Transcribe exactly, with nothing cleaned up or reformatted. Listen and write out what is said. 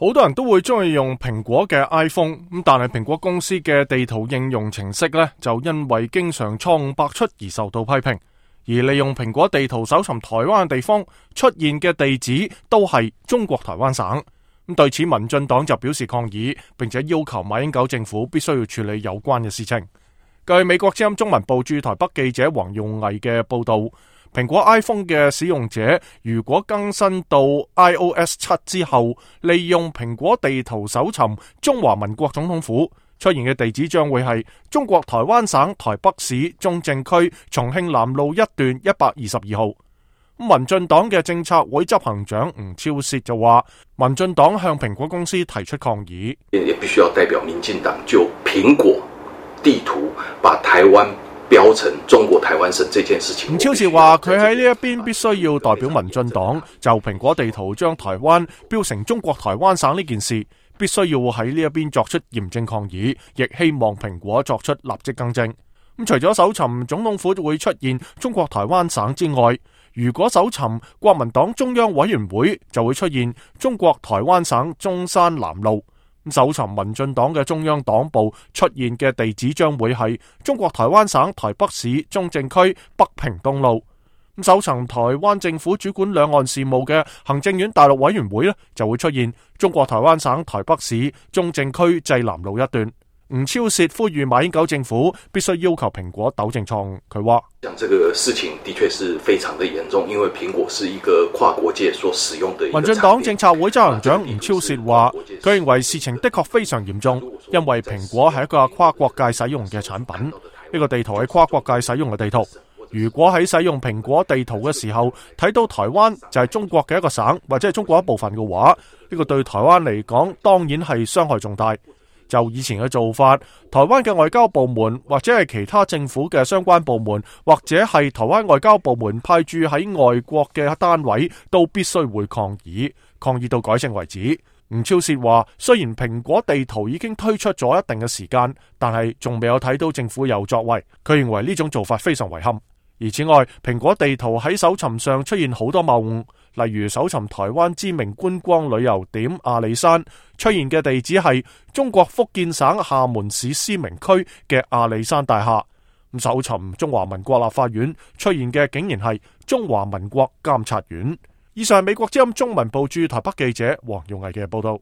好多人都會中意用蘋果嘅 iPhone， 咁但係蘋果公司嘅地圖應用程式呢，就因為經常錯誤百出而受到批評。而利用蘋果地圖搜尋台灣嘅地方出現嘅地址都係中國台灣省。咁對此，民進黨就表示抗議，並且要求馬英九政府必須要處理有關嘅事情。據美國之音中文部駐台北記者黃用毅嘅報道，蘋果 iPhone 嘅使用者如果更新到 i O S 七之後，利用蘋果地圖搜尋中華民國總統府，出現嘅地址將會係中國台灣省台北市中正區重慶南路一段一百二十二號。民進黨嘅政策會執行長吳釗燮就話，民進黨向蘋果公司提出抗議，也必須要代表民進黨就蘋果地圖把台灣標成中國台灣省這件事情。吳釗燮話佢喺呢一邊必須要代表民進黨就蘋果地圖將台灣標成中國台灣省呢件事，必須要喺呢一邊作出嚴正抗議，亦希望蘋果作出立即更正。咁除咗搜尋總統府會出現中國台灣省之外，如果搜尋國民黨中央委員會就會出現中國台灣省中山南路。搜尋民進黨嘅中央黨部出現嘅地址將會係中國台灣省台北市中正區北平東路。搜尋台灣政府主管兩岸事務嘅行政院大陸委員會呢，就會出現中國台灣省台北市中正區濟南路一段。吳釗燮呼籲馬英九政府必須要求蘋果糾正錯誤。佢話：講這個事情的確是非常的嚴重，因為蘋果是一個跨國界所使用的一個產品。民進黨政策會執行長吳釗燮話，佢認為事情的確非常嚴重，因為蘋果係一個跨國界使用嘅產品，呢個地圖係跨國界使用嘅地圖。如果喺使用蘋果地圖嘅時候睇到台灣就係中國嘅一個省或者係中國一部分嘅話，呢個對台灣嚟講當然係傷害重大。就以前嘅做法，台灣嘅外交部門或者係其他政府嘅相關部門，或者係台灣外交部門派駐喺外國嘅單位，都必須會抗議，抗議到改正為止。吳釗燮話，雖然蘋果地圖已經推出咗一定嘅時間，但係仲未有睇到政府有作為。佢認為呢種做法非常遺憾。而此外，蘋果地圖喺搜尋上出現好多謬誤，例如搜尋台灣知名觀光旅遊點阿里山，出現嘅地址係中國福建省廈門市思明區嘅阿里山大廈。咁搜尋中華民國立法院，出現嘅竟然係中華民國監察院。以上係美國之音中文部駐台北記者黃用毅嘅報道。